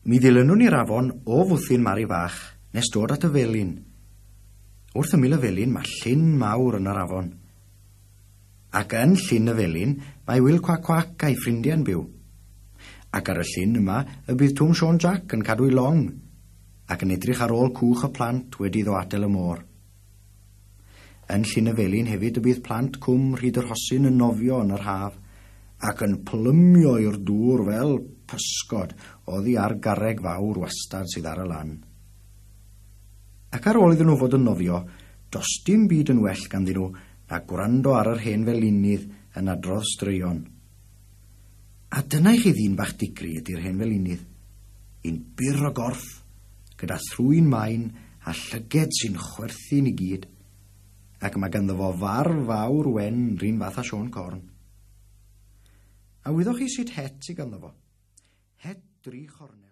Mi ddilynwn ni'r afon o fwthyn Mari Fach nes dod at y felin. Wrth ymyl y felin mae llyn mawr yn yr afon. Ac yn llyn y felin mae Wil Cwac Cwac a'i ffrindiau'n byw. Ac ar y llyn yma y bydd Twm Siôn Jac yn cadw'i long ac yn edrych ar ôl cwch y plant wedi iddo adael y môr. Yn Llyn y Felin hefyd y bydd plant Cwm Rhyd yr Hosyn yn nofio yn yr haf ac yn plymio i'r dŵr fel pysgod oddi ar garreg fawr wastad sydd ar y lan. Ac ar ôl iddyn nhw fod yn nofio, does dim byd yn well ganddyn nhw na gwrando ar yr hen felinydd yn adrodd straeon. A dyna i chi ddyn bach digri ydy'r hen felinydd. Un byr o gorff, gyda thrwyn main a llyged sy'n chwerthin i gyd. Ac mae ganddo fo farf fawr wen r'un fath â Siôn Corn. A wyddoch chi sut het sy ganddo fo? Het dri chornel.